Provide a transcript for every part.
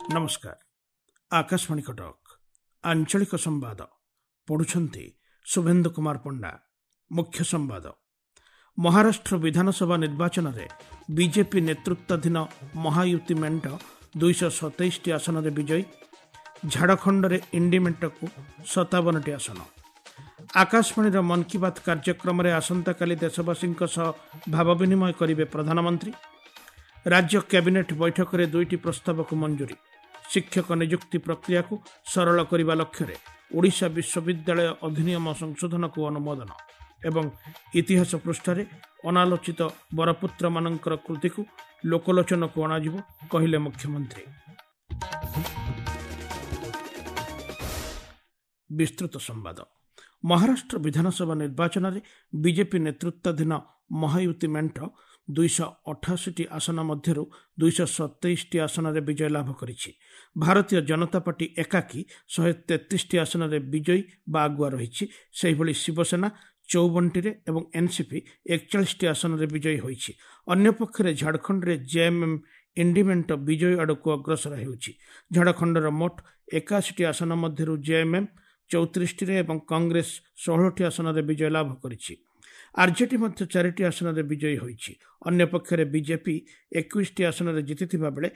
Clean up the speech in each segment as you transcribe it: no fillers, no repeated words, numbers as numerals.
ନମସ୍କାର, ଆକାଶବାଣୀ କଟକ, ଆଞ୍ଚଳିକ ସମ୍ବାଦ ପଢୁଛନ୍ତି ଶୁଭେନ୍ଦୁ କୁମାର ପଣ୍ଡା। ମୁଖ୍ୟ ସମ୍ବାଦ। ମହାରାଷ୍ଟ୍ର ବିଧାନସଭା ନିର୍ବାଚନରେ ବିଜେପି ନେତୃତ୍ୱାଧୀନ ମହାୟୁତି ମେଣ୍ଟ 227ଟି ଆସନରେ ବିଜୟୀ। ଝାଡ଼ଖଣ୍ଡରେ ଇଣ୍ଡି ମେଣ୍ଟକୁ 57ଟି ଆସନ। ଆକାଶବାଣୀର ମନ୍ କି ବାତ୍ କାର୍ଯ୍ୟକ୍ରମରେ ଆସନ୍ତାକାଲି ଦେଶବାସୀଙ୍କ ସହ ଭାବ ବିନିମୟ କରିବେ ପ୍ରଧାନମନ୍ତ୍ରୀ। ରାଜ୍ୟ କ୍ୟାବିନେଟ୍ ବୈଠକରେ 2ଟି ପ୍ରସ୍ତାବକୁ ମଞ୍ଜୁରୀ। ଶିକ୍ଷକ ନିଯୁକ୍ତି ପ୍ରକ୍ରିୟାକୁ ସରଳ କରିବା ଲକ୍ଷ୍ୟରେ ଓଡ଼ିଶା ବିଶ୍ୱବିଦ୍ୟାଳୟ ଅଧିନିୟମ ସଂଶୋଧନକୁ ଅନୁମୋଦନ। ଏବଂ ଇତିହାସ ପୃଷ୍ଠାରେ ଅନାଲୋଚିତ ବରପୁତ୍ରମାନଙ୍କର କୃତିକୁ ଲୋକଲୋଚନକୁ ଅଣାଯିବ, କହିଲେ ମୁଖ୍ୟମନ୍ତ୍ରୀ। ବିସ୍ତୃତ ସମ୍ବାଦ। ମହାରାଷ୍ଟ୍ର ବିଧାନସଭା ନିର୍ବାଚନରେ ବିଜେପି ନେତୃତ୍ୱାଧୀନ ମହାୟୁତି ମେଣ୍ଟ 288ଟି ଆସନ ମଧ୍ୟରୁ 227ଟି ଆସନରେ ବିଜୟ ଲାଭ କରିଛି। ଭାରତୀୟ ଜନତା ପାର୍ଟି ଏକାକୀ 133ଟି ଆସନରେ ବିଜୟୀ ବା ଆଗୁଆ ରହିଛି। ସେହିଭଳି ଶିବସେନା 54ଟିରେ ଏବଂ ଏନ୍ସିପି 41ଟି ଆସନରେ ବିଜୟୀ ହୋଇଛି। ଅନ୍ୟପକ୍ଷରେ ଝାଡ଼ଖଣ୍ଡରେ ଜେଏମ୍ଏମ୍ ଇଣ୍ଡି ମେଣ୍ଟ ବିଜୟୀ ଆଡ଼କୁ ଅଗ୍ରସର ହେଉଛି। ଝାଡ଼ଖଣ୍ଡର ମୋଟ 81ଟି ଆସନ ମଧ୍ୟରୁ ଜେଏମ୍ଏମ୍ 34ଟିରେ ଏବଂ କଂଗ୍ରେସ 16ଟି ଆସନରେ ବିଜୟ ଲାଭ କରିଛି। ଆରଜେଡି ମଧ୍ୟ 4ଟି ଆସନରେ ବିଜୟୀ ହୋଇଛି। ଅନ୍ୟପକ୍ଷରେ ବିଜେପି 21ଟି ଆସନରେ ଜିତିଥିବା ବେଳେ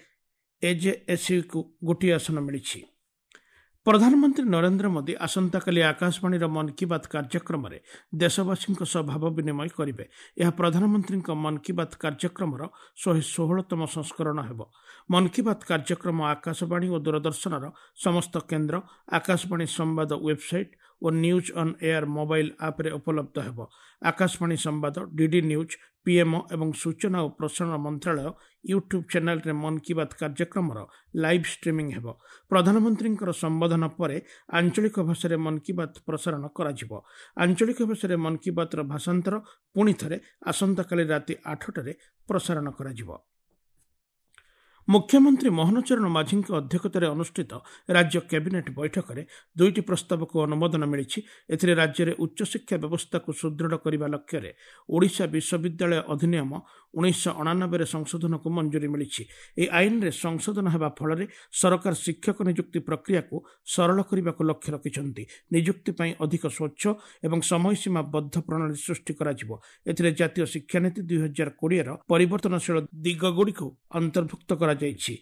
ଏଜେଏସ୍ୟୁକୁ 1 ଆସନ ମିଳିଛି। ପ୍ରଧାନମନ୍ତ୍ରୀ ନରେନ୍ଦ୍ର ମୋଦି ଆସନ୍ତାକାଲି ଆକାଶବାଣୀର ମନ୍ କି ବାତ୍ କାର୍ଯ୍ୟକ୍ରମରେ ଦେଶବାସୀଙ୍କ ସହ ଭାବ ବିନିମୟ କରିବେ। ଏହା ପ୍ରଧାନମନ୍ତ୍ରୀଙ୍କ ମନ୍ କି ବାତ୍ କାର୍ଯ୍ୟକ୍ରମର 116ତମ ସଂସ୍କରଣ ହେବ। ମନ୍ କି ବାତ୍ କାର୍ଯ୍ୟକ୍ରମ ଆକାଶବାଣୀ ଓ ଦୂରଦର୍ଶନର ସମସ୍ତ କେନ୍ଦ୍ର, ଆକାଶବାଣୀ ସମ୍ବାଦ website O news on air mobile ଆପ୍ରେ ଉପଲବ୍ଧ ହେବ। ଆକାଶବାଣୀ ସମ୍ବାଦ, ଡିଡି ନ୍ୟୁଜ୍, ପିଏମ୍ଓ ଏବଂ ସୂଚନା ଓ ପ୍ରସାରଣ ମନ୍ତ୍ରାଳୟ ୟୁଟ୍ୟୁବ୍ ଚ୍ୟାନେଲ୍ରେ ମନ୍ କି ବାତ୍ କାର୍ଯ୍ୟକ୍ରମର ଲାଇଭ୍ ଷ୍ଟ୍ରିମିଂ ହେବ। ପ୍ରଧାନମନ୍ତ୍ରୀଙ୍କର ସମ୍ବୋଧନ ପରେ ଆଞ୍ଚଳିକ ଭାଷାରେ ମନ୍ କି ବାତ୍ ପ୍ରସାରଣ କରାଯିବ। ଆଞ୍ଚଳିକ ଭାଷାରେ ମନ୍ କି ବାତ୍ର ଭାଷାନ୍ତର ପୁଣି ଥରେ ଆସନ୍ତାକାଲି ରାତି 8ଟାରେ ପ୍ରସାରଣ କରାଯିବ। ମୁଖ୍ୟମନ୍ତ୍ରୀ ମୋହନ ଚରଣ ମାଝୀଙ୍କ ଅଧ୍ୟକ୍ଷତାରେ ଅନୁଷ୍ଠିତ ରାଜ୍ୟ କ୍ୟାବିନେଟ୍ ବୈଠକରେ 2ଟି ପ୍ରସ୍ତାବକୁ ଅନୁମୋଦନ ମିଳିଛି। ଏଥିରେ ରାଜ୍ୟରେ ଉଚ୍ଚଶିକ୍ଷା ବ୍ୟବସ୍ଥାକୁ ସୁଦୃଢ଼ କରିବା ଲକ୍ଷ୍ୟରେ ଓଡ଼ିଶା ବିଶ୍ୱବିଦ୍ୟାଳୟ ଅଧିନିୟମ 1989ରେ ସଂଶୋଧନକୁ ମଞ୍ଜୁରୀ ମିଳିଛି। ଏହି ଆଇନରେ ସଂଶୋଧନ ହେବା ଫଳରେ ସରକାର ଶିକ୍ଷକ ନିଯୁକ୍ତି ପ୍ରକ୍ରିୟାକୁ ସରଳ କରିବାକୁ ଲକ୍ଷ୍ୟ ରଖିଛନ୍ତି। ନିଯୁକ୍ତି ପାଇଁ ଅଧିକ ସ୍ୱଚ୍ଛ ଏବଂ ସମୟସୀମା ବଦ୍ଧ ପ୍ରଣାଳୀ ସୃଷ୍ଟି କରାଯିବ। ଏଥିରେ ଜାତୀୟ ଶିକ୍ଷାନୀତି 2020ର ପରିବର୍ତ୍ତନଶୀଳ ଦିଗଗୁଡ଼ିକୁ ଅନ୍ତର୍ଭୁକ୍ତ କରାଯାଇଛି।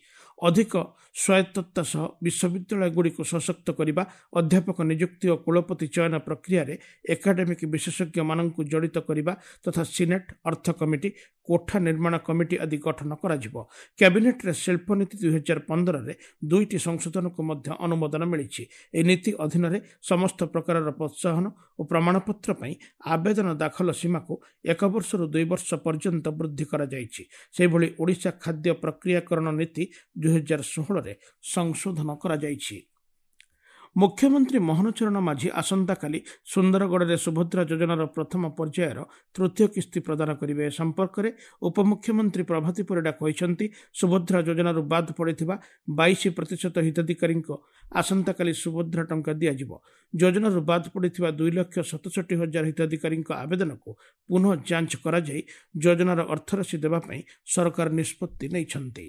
ଅଧିକ ସ୍ୱାୟତ୍ତତା ସହ ବିଶ୍ୱବିଦ୍ୟାଳୟଗୁଡ଼ିକୁ ସଶକ୍ତ କରିବା, ଅଧ୍ୟାପକ ନିଯୁକ୍ତି ଓ କୁଳପତି ଚୟନ ପ୍ରକ୍ରିୟାରେ ଏକାଡେମିକ୍ ବିଶେଷଜ୍ଞମାନଙ୍କୁ ଜଡ଼ିତ କରିବା ତଥା ସିନେଟ୍, ଅର୍ଥ କମିଟି, କୋଠା ନିର୍ମାଣ କମିଟି ଆଦି ଗଠନ କରାଯିବ। କ୍ୟାବିନେଟ୍ରେ ଶିଳ୍ପନୀତି 2015ରେ 2ଟି ସଂଶୋଧନକୁ ମଧ୍ୟ ଅନୁମୋଦନ ମିଳିଛି। ଏହି ନୀତି ଅଧୀନରେ ସମସ୍ତ ପ୍ରକାରର ପ୍ରୋତ୍ସାହନ ଓ ପ୍ରମାଣପତ୍ର ପାଇଁ ଆବେଦନ ଦାଖଲ ସୀମାକୁ 1 ବର୍ଷରୁ 2 ବର୍ଷ ପର୍ଯ୍ୟନ୍ତ ବୃଦ୍ଧି କରାଯାଇଛି। ସେହିଭଳି ଓଡ଼ିଶା ଖାଦ୍ୟ ପ୍ରକ୍ରିୟାକରଣ ନୀତି 2016ରେ ସଂଶୋଧନ କରାଯାଇଛି। ମୁଖ୍ୟମନ୍ତ୍ରୀ ମୋହନ ଚରଣ ମାଝୀ ଆସନ୍ତାକାଲି ସୁନ୍ଦରଗଡ଼ରେ ସୁଭଦ୍ରା ଯୋଜନାର ପ୍ରଥମ ପର୍ଯ୍ୟାୟର ତୃତୀୟ କିସ୍ତି ପ୍ରଦାନ କରିବେ। ଏ ସମ୍ପର୍କରେ ଉପମୁଖ୍ୟମନ୍ତ୍ରୀ ପ୍ରଭାତୀ ପରିଡ଼ା କହିଛନ୍ତି, ସୁଭଦ୍ରା ଯୋଜନାରୁ ବାଦ୍ ପଡ଼ିଥିବା 22% ହିତାଧିକାରୀଙ୍କ ଆସନ୍ତାକାଲି ସୁଭଦ୍ରା ଟଙ୍କା ଦିଆଯିବ। ଯୋଜନାରୁ ବାଦ୍ ପଡ଼ିଥିବା 2,67,000 ହିତାଧିକାରୀଙ୍କ ଆବେଦନକୁ ପୁନଃ ଯାଞ୍ଚ କରାଯାଇ ଯୋଜନାର ଅର୍ଥରାଶି ଦେବା ପାଇଁ ସରକାର ନିଷ୍ପତ୍ତି ନେଇଛନ୍ତି।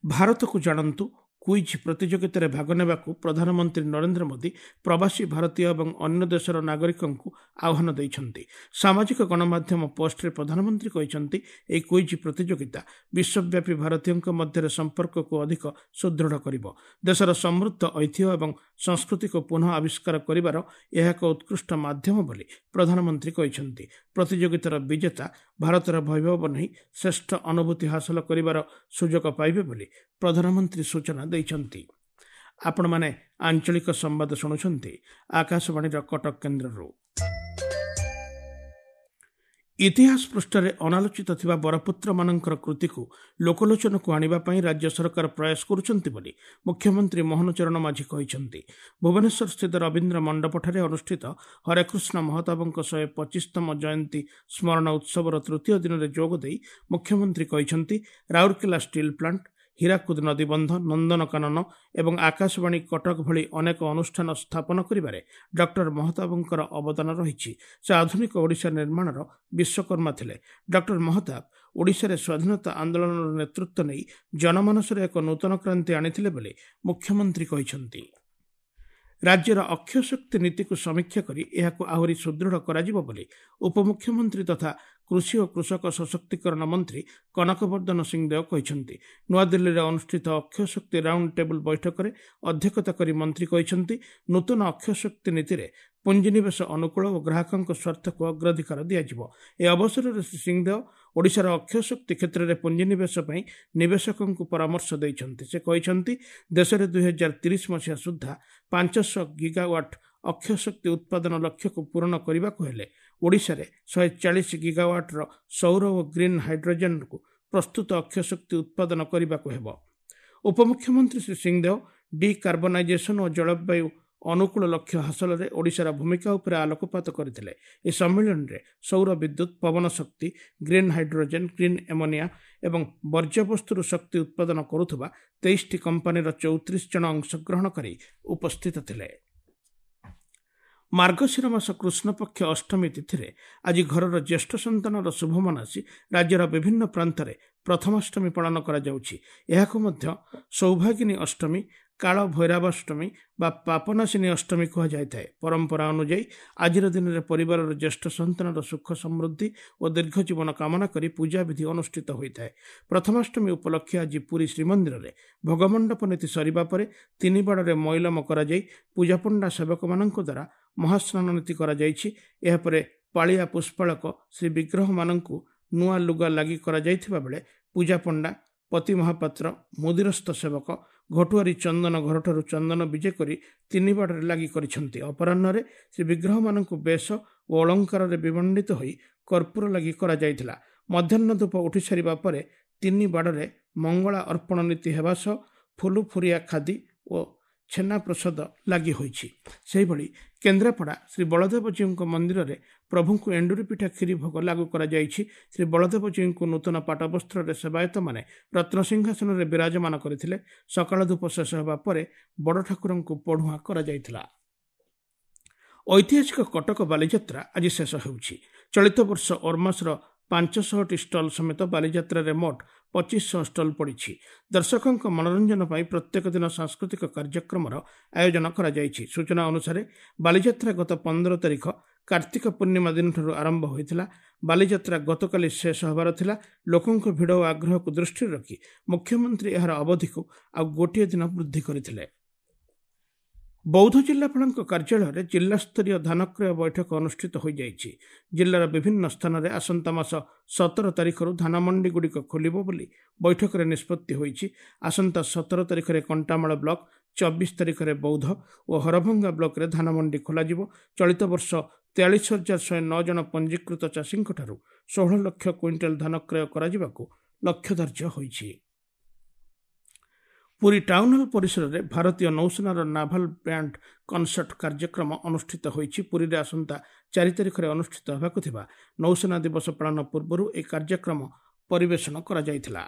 ଭାରତକୁ ଜାଣନ୍ତୁ କୁଇଜ୍ ପ୍ରତିଯୋଗିତାରେ ଭାଗ ନେବାକୁ ପ୍ରଧାନମନ୍ତ୍ରୀ ନରେନ୍ଦ୍ର ମୋଦି ପ୍ରବାସୀ ଭାରତୀୟ ଏବଂ ଅନ୍ୟ ଦେଶର ନାଗରିକଙ୍କୁ ଆହ୍ୱାନ ଦେଇଛନ୍ତି। ସାମାଜିକ ଗଣମାଧ୍ୟମ ପୋଷ୍ଟରେ ପ୍ରଧାନମନ୍ତ୍ରୀ କହିଛନ୍ତି, ଏହି କୁଇଜ୍ ପ୍ରତିଯୋଗିତା ବିଶ୍ୱବ୍ୟାପୀ ଭାରତୀୟଙ୍କ ମଧ୍ୟରେ ସମ୍ପର୍କକୁ ଅଧିକ ସୁଦୃଢ଼ କରିବ। ଦେଶର ସମୃଦ୍ଧ ଐତିହ୍ୟ ଏବଂ ସଂସ୍କୃତିକୁ ପୁନଃ ଆବିଷ୍କାର କରିବାର ଏହା ଏକ ଉତ୍କୃଷ୍ଟ ମାଧ୍ୟମ ବୋଲି ପ୍ରଧାନମନ୍ତ୍ରୀ କହିଛନ୍ତି। ପ୍ରତିଯୋଗିତାର ବିଜେତା ଭାରତର ବୈଭବ ନେଇ ଶ୍ରେଷ୍ଠ ଅନୁଭୂତି ହାସଲ କରିବାର ସୁଯୋଗ ପାଇବେ ବୋଲି ପ୍ରଧାନମନ୍ତ୍ରୀ ସୂଚନା ଦେଇଛନ୍ତି। ଆପଣମାନେ ଆଞ୍ଚଳିକ ସମ୍ବାଦ ଶୁଣୁଛନ୍ତି ଆକାଶବାଣୀର କଟକ କେନ୍ଦ୍ରରୁ। ଇତିହାସ ପୃଷ୍ଠାରେ ଅନାଲୋଚିତ ଥିବା ବରପୁତ୍ରମାନଙ୍କର କୃତିକୁ ଲୋକଲୋଚନକୁ ଆଣିବା ପାଇଁ ରାଜ୍ୟ ସରକାର ପ୍ରୟାସ କରୁଛନ୍ତି ବୋଲି ମୁଖ୍ୟମନ୍ତ୍ରୀ ମୋହନ ଚରଣ ମାଝୀ କହିଛନ୍ତି। ଭୁବନେଶ୍ୱର ସ୍ଥିତ ରବୀନ୍ଦ୍ର ମଣ୍ଡପଠାରେ ଅନୁଷ୍ଠିତ ହରେକୃଷ୍ଣ ମହତାବଙ୍କ 125ତମ ଜୟନ୍ତୀ ସ୍ମରଣ ଉତ୍ସବର ତୃତୀୟ ଦିନରେ ଯୋଗ ଦେଇ ମୁଖ୍ୟମନ୍ତ୍ରୀ କହିଛନ୍ତି, ରାଉରକେଲା ଷ୍ଟିଲ୍ ପ୍ଲାଣ୍ଟ, ହୀରାକୁଦ ନଦୀବନ୍ଧ, ନନ୍ଦନକାନନ ଏବଂ ଆକାଶବାଣୀ କଟକ ଭଳି ଅନେକ ଅନୁଷ୍ଠାନ ସ୍ଥାପନ କରିବାରେ ଡକ୍ଟର ମହତାବଙ୍କର ଅବଦାନ ରହିଛି। ସେ ଆଧୁନିକ ଓଡ଼ିଶା ନିର୍ମାଣର ବିଶ୍ୱକର୍ମା ଥିଲେ। ଡକ୍ଟର ମହତାବ ଓଡ଼ିଶାରେ ସ୍ୱାଧୀନତା ଆନ୍ଦୋଳନର ନେତୃତ୍ୱ ନେଇ ଜନମାନସରେ ଏକ ନୂତନ କ୍ରାନ୍ତି ଆଣିଥିଲେ ବୋଲି ମୁଖ୍ୟମନ୍ତ୍ରୀ କହିଛନ୍ତି। ରାଜ୍ୟର ଅକ୍ଷୟ ଶକ୍ତି ନୀତିକୁ ସମୀକ୍ଷା କରି ଏହାକୁ ଆହୁରି ସୁଦୃଢ଼ କରାଯିବ ବୋଲି ଉପମୁଖ୍ୟମନ୍ତ୍ରୀ ତଥା କୃଷି ଓ କୃଷକ ସଶକ୍ତିକରଣ ମନ୍ତ୍ରୀ କନକବର୍ଦ୍ଧନ ସିଂଦେଓ କହିଛନ୍ତି। ନୂଆଦିଲ୍ଲୀରେ ଅନୁଷ୍ଠିତ ଅକ୍ଷୟ ଶକ୍ତି ରାଉଣ୍ଡ ଟେବୁଲ ବୈଠକରେ ଅଧ୍ୟକ୍ଷତା କରି ମନ୍ତ୍ରୀ କହିଛନ୍ତି, ନୂତନ ଅକ୍ଷୟ ଶକ୍ତି ନୀତିରେ ପୁଞ୍ଜିନିବେଶ ଅନୁକୂଳ ଓ ଗ୍ରାହକଙ୍କ ସ୍ୱାର୍ଥକୁ ଅଗ୍ରାଧିକାର ଦିଆଯିବ। ଏ ଅବସରରେ ଶ୍ରୀ ସିଂଦେଓ ଓଡ଼ିଶାର ଅକ୍ଷୟ ଶକ୍ତି କ୍ଷେତ୍ରରେ ପୁଞ୍ଜିନିବେଶ ପାଇଁ ନିବେଶକଙ୍କୁ ପରାମର୍ଶ ଦେଇଛନ୍ତି। ସେ କହିଛନ୍ତି, ଦେଶରେ 2030 ମସିହା ସୁଦ୍ଧା 500 ଗିଗାୱାଟ୍ ଅକ୍ଷୟ ଶକ୍ତି ଉତ୍ପାଦନ ଲକ୍ଷ୍ୟକୁ ପୂରଣ କରିବାକୁ ହେଲେ ଓଡ଼ିଶାରେ 140 ଗିଗାୱାଟ୍ର ସୌର ଓ ଗ୍ରୀନ୍ ହାଇଡ୍ରୋଜେନ୍କୁ ପ୍ରସ୍ତୁତ ଅକ୍ଷୟ ଶକ୍ତି ଉତ୍ପାଦନ କରିବାକୁ ହେବ। ଉପମୁଖ୍ୟମନ୍ତ୍ରୀ ଶ୍ରୀ ସିଂଦେଓ ଡିକାର୍ବନାଇଜେସନ୍ ଓ ଜଳବାୟୁ ଅନୁକୂଳ ଲକ୍ଷ୍ୟ ହାସଲରେ ଓଡ଼ିଶାର ଭୂମିକା ଉପରେ ଆଲୋକପାତ କରିଥିଲେ। ଏହି ସମ୍ମିଳନୀରେ ସୌର ବିଦ୍ୟୁତ୍, ପବନ ଶକ୍ତି, ଗ୍ରୀନ୍ ହାଇଡ୍ରୋଜେନ୍, ଗ୍ରୀନ୍ ଏମୋନିଆ ଏବଂ ବର୍ଜ୍ୟବସ୍ତୁରୁ ଶକ୍ତି ଉତ୍ପାଦନ କରୁଥିବା 23ଟି କମ୍ପାନୀର 34 ଜଣ ଅଂଶଗ୍ରହଣକାରୀ ଉପସ୍ଥିତ ଥିଲେ। ମାର୍ଗଶିର ମାସ କୃଷ୍ଣପକ୍ଷ ଅଷ୍ଟମୀ ତିଥିରେ ଆଜି ଘରର ଜ୍ୟେଷ୍ଠ ସନ୍ତାନର ଶୁଭ ମନାସି ରାଜ୍ୟର ବିଭିନ୍ନ ପ୍ରାନ୍ତରେ ପ୍ରଥମାଷ୍ଟମୀ ପାଳନ କରାଯାଉଛି। ଏହାକୁ ମଧ୍ୟ ସୌଭାଗିନୀ ଅଷ୍ଟମୀ, କାଳ ଭୈରବାଷ୍ଟମୀ ବା ପାପନାଶିନୀ ଅଷ୍ଟମୀ କୁହାଯାଇଥାଏ। ପରମ୍ପରା ଅନୁଯାୟୀ ଆଜିର ଦିନରେ ପରିବାରର ଜ୍ୟେଷ୍ଠ ସନ୍ତାନର ସୁଖ, ସମୃଦ୍ଧି ଓ ଦୀର୍ଘ ଜୀବନ କାମନା କରି ପୂଜାବିଧି ଅନୁଷ୍ଠିତ ହୋଇଥାଏ। ପ୍ରଥମାଷ୍ଟମୀ ଉପଲକ୍ଷେ ଆଜି ପୁରୀ ଶ୍ରୀମନ୍ଦିରରେ ଭୋଗମଣ୍ଡପ ନୀତି ସରିବା ପରେ ତିନି ବାଡ଼ରେ ମଇଲମ କରାଯାଇ ପୂଜାପଣ୍ଡା ସେବକମାନଙ୍କ ଦ୍ୱାରା ମହାସ୍ନାନ ନୀତି କରାଯାଇଛି। ଏହାପରେ ପାଳିଆ ପୁଷ୍ପାଳକ ଶ୍ରୀ ବିଗ୍ରହମାନଙ୍କୁ ନୂଆ ଲୁଗା ଲାଗି କରାଯାଇଥିବା ବେଳେ ପୂଜାପଣ୍ଡା, ପତି ମହାପାତ୍ର, ମୁଦିରସ୍ତ ସେବକ, ଘଟୁଆରୀ ଚନ୍ଦନ ଘରଠାରୁ ଚନ୍ଦନ ବିଜେ କରି ତିନି ବାଡ଼ରେ ଲାଗି କରିଛନ୍ତି। ଅପରାହ୍ନରେ ଶ୍ରୀ ବିଗ୍ରହମାନଙ୍କୁ ବେଶ ଓ ଅଳଙ୍କାରରେ ବିମଣ୍ଡିତ ହୋଇ କର୍ପୂର ଲାଗି କରାଯାଇଥିଲା। ମଧ୍ୟାହ୍ନ ଧୂପ ଉଠି ସାରିବା ପରେ ତିନି ବାଡ଼ରେ ମଙ୍ଗଳା ଅର୍ପଣ ନୀତି ହେବା ସହ ଫୁଲୁଫୁରିଆ ଖାଦି ଓ ଛେନା ପ୍ରସାଦ ଲାଗି ହୋଇଛି। ସେହିଭଳି କେନ୍ଦ୍ରାପଡ଼ା ଶ୍ରୀ ବଳଦେବଜୀଉଙ୍କ ମନ୍ଦିରରେ ପ୍ରଭୁଙ୍କୁ ଏଣ୍ଡୁରି ପିଠା କ୍ଷୀରି ଭୋଗ ଲାଗୁ କରାଯାଇଛି। ଶ୍ରୀ ବଳଦେବଜୀଉଙ୍କୁ ନୂତନ ପାଟବସ୍ତ୍ରରେ ସେବାୟତମାନେ ରତ୍ନସିଂହାସନରେ ବିରାଜମାନ କରିଥିଲେ। ସକାଳ ଧୂପ ଶେଷ ହେବା ପରେ ବଡ଼ ଠାକୁରଙ୍କୁ ପଢୁଆଁ କରାଯାଇଥିଲା। ଐତିହାସିକ କଟକ ବାଲିଯାତ୍ରା ଆଜି ଶେଷ ହେଉଛି। ଚଳିତ ବର୍ଷ ଓର୍ମାସର 500ଟି ଷ୍ଟଲ୍ ସମେତ ବାଲିଯାତ୍ରାରେ ମୋଟ 2500 ଷ୍ଟଲ୍ ପଡ଼ିଛି। ଦର୍ଶକଙ୍କ ମନୋରଞ୍ଜନ ପାଇଁ ପ୍ରତ୍ୟେକ ଦିନ ସାଂସ୍କୃତିକ କାର୍ଯ୍ୟକ୍ରମର ଆୟୋଜନ କରାଯାଇଛି। ସୂଚନା ଅନୁସାରେ ବାଲିଯାତ୍ରା ଗତ 15 ତାରିଖ କାର୍ତ୍ତିକ ପୂର୍ଣ୍ଣିମା ଦିନଠାରୁ ଆରମ୍ଭ ହୋଇଥିଲା। ବାଲିଯାତ୍ରା ଗତକାଲି ଶେଷ ହେବାର ଥିଲା। ଲୋକଙ୍କ ଭିଡ଼ ଓ ଆଗ୍ରହକୁ ଦୃଷ୍ଟିରେ ରଖି ମୁଖ୍ୟମନ୍ତ୍ରୀ ଏହାର ଅବଧିକୁ ଆଉ ଗୋଟିଏ ଦିନ ବୃଦ୍ଧି କରିଥିଲେ। ବୌଦ୍ଧ ଜିଲ୍ଲାପାଳଙ୍କ କାର୍ଯ୍ୟାଳୟରେ ଜିଲ୍ଲାସ୍ତରୀୟ ଧାନକ୍ରୟ ବୈଠକ ଅନୁଷ୍ଠିତ ହୋଇଯାଇଛି। ଜିଲ୍ଲାର ବିଭିନ୍ନ ସ୍ଥାନରେ ଆସନ୍ତା ମାସ 17 ତାରିଖରୁ ଧାନମଣ୍ଡିଗୁଡ଼ିକ ଖୋଲିବ ବୋଲି ବୈଠକରେ ନିଷ୍ପତ୍ତି ହୋଇଛି। ଆସନ୍ତା 17 ତାରିଖରେ କଣ୍ଟାମାଳ ବ୍ଲକ, 24 ତାରିଖରେ ବୌଦ୍ଧ ଓ ହରଭଙ୍ଗା ବ୍ଲକରେ ଧାନମଣ୍ଡି ଖୋଲାଯିବ। ଚଳିତ ବର୍ଷ 43,109 ଜଣ ପଞ୍ଜୀକୃତ ଚାଷୀଙ୍କଠାରୁ 16 ଲକ୍ଷ କୁଇଣ୍ଟାଲ ଧାନ କ୍ରୟ କରାଯିବାକୁ ଲକ୍ଷ୍ୟ ଧାର୍ଯ୍ୟ ହୋଇଛି। ପୁରୀ ଟାଉନ୍ ହଲ୍ ପରିସରରେ ଭାରତୀୟ ନୌସେନାର ନାଭାଲ ବ୍ୟାଣ୍ଡ କନସର୍ଟ କାର୍ଯ୍ୟକ୍ରମ ଅନୁଷ୍ଠିତ ହୋଇଛି। ପୁରୀରେ ଆସନ୍ତା 4 ତାରିଖରେ ଅନୁଷ୍ଠିତ ହେବାକୁ ଥିବା ନୌସେନା ଦିବସ ପାଳନ ପୂର୍ବରୁ ଏହି କାର୍ଯ୍ୟକ୍ରମ ପରିବେଷଣ କରାଯାଇଥିଲା।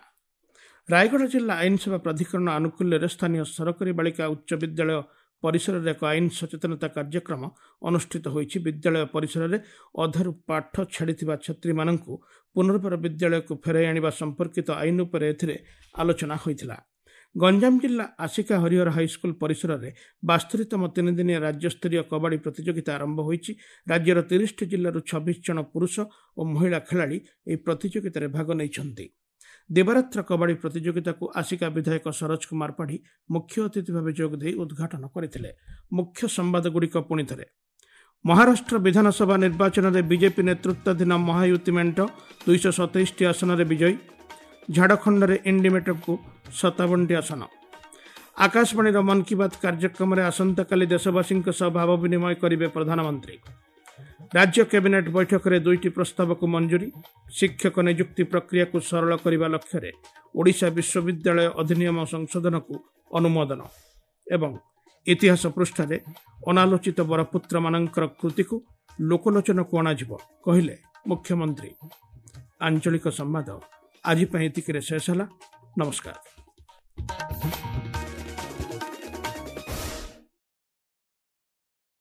ରାୟଗଡ଼ା ଜିଲ୍ଲା ଆଇନ ସେବା ପ୍ରାଧିକରଣ ଆନୁକୂଲ୍ୟରେ ସ୍ଥାନୀୟ ସରକାରୀ ବାଳିକା ଉଚ୍ଚ ବିଦ୍ୟାଳୟ ପରିସରରେ ଏକ ଆଇନ ସଚେତନତା କାର୍ଯ୍ୟକ୍ରମ ଅନୁଷ୍ଠିତ ହୋଇଛି। ବିଦ୍ୟାଳୟ ପରିସରରେ ଅଧାରୁ ପାଠ ଛାଡ଼ିଥିବା ଛାତ୍ରୀମାନଙ୍କୁ ପୁନର୍ବାର ବିଦ୍ୟାଳୟକୁ ଫେରାଇ ଆଣିବା ସମ୍ପର୍କିତ ଆଇନ ଉପରେ ଏଥିରେ ଆଲୋଚନା ହୋଇଥିଲା। ଗଞ୍ଜାମ ଜିଲ୍ଲା ଆସିକା ହରିହର ହାଇସ୍କୁଲ ପରିସରରେ 72ତମ ତିନିଦିନିଆ ରାଜ୍ୟସ୍ତରୀୟ କବାଡ଼ି ପ୍ରତିଯୋଗିତା ଆରମ୍ଭ ହୋଇଛି। ରାଜ୍ୟର 30ଟି ଜିଲ୍ଲାରୁ 26 ଜଣ ପୁରୁଷ ଓ ମହିଳା ଖେଳାଳି ଏହି ପ୍ରତିଯୋଗିତାରେ ଭାଗ ନେଇଛନ୍ତି। ଦିବାରାତ୍ର କବାଡ଼ି ପ୍ରତିଯୋଗିତାକୁ ଆସିକା ବିଧାୟକ ସରୋଜ କୁମାର ପାଢ଼ୀ ମୁଖ୍ୟ ଅତିଥି ଭାବେ ଯୋଗଦେଇ ଉଦ୍ଘାଟନ କରିଥିଲେ। ମୁଖ୍ୟ ସମ୍ବାଦଗୁଡ଼ିକ ପୁଣିଥରେ। ମହାରାଷ୍ଟ୍ର ବିଧାନସଭା ନିର୍ବାଚନରେ ବିଜେପି ନେତୃତ୍ୱାଧୀନ ମହାୟୁତି ମେଣ୍ଟ 227ଟି ଆସନରେ ବିଜୟୀ। ଝାଡ଼ଖଣ୍ଡରେ ଇଣ୍ଡିମେଣ୍ଟକୁ 57ଟି ଆସନ। ଆକାଶବାଣୀର ମନ୍ କି ବାତ୍ କାର୍ଯ୍ୟକ୍ରମରେ ଆସନ୍ତାକାଲି ଦେଶବାସୀଙ୍କ ସହ ଭାବ ବିନିମୟ କରିବେ ପ୍ରଧାନମନ୍ତ୍ରୀ। ରାଜ୍ୟ କ୍ୟାବିନେଟ୍ ବୈଠକରେ 2ଟି ପ୍ରସ୍ତାବକୁ ମଞ୍ଜୁରୀ। ଶିକ୍ଷକ ନିଯୁକ୍ତି ପ୍ରକ୍ରିୟାକୁ ସରଳ କରିବା ଲକ୍ଷ୍ୟରେ ଓଡ଼ିଶା ବିଶ୍ୱବିଦ୍ୟାଳୟ ଅଧିନିୟମ ସଂଶୋଧନକୁ ଅନୁମୋଦନ। ଏବଂ ଇତିହାସ ପୃଷ୍ଠାରେ ଅନାଲୋଚିତ ବରପୁତ୍ରମାନଙ୍କର କୃତିକୁ ଲୋକଲୋଚନକୁ ଅଣାଯିବ, କହିଲେ ମୁଖ୍ୟମନ୍ତ୍ରୀ। ଆଞ୍ଚଳିକ ସମ୍ବାଦ ଆଜି ପାଇଁ ଏତିକିରେ ଶେଷ ହେଲା। ନମସ୍କାର। ।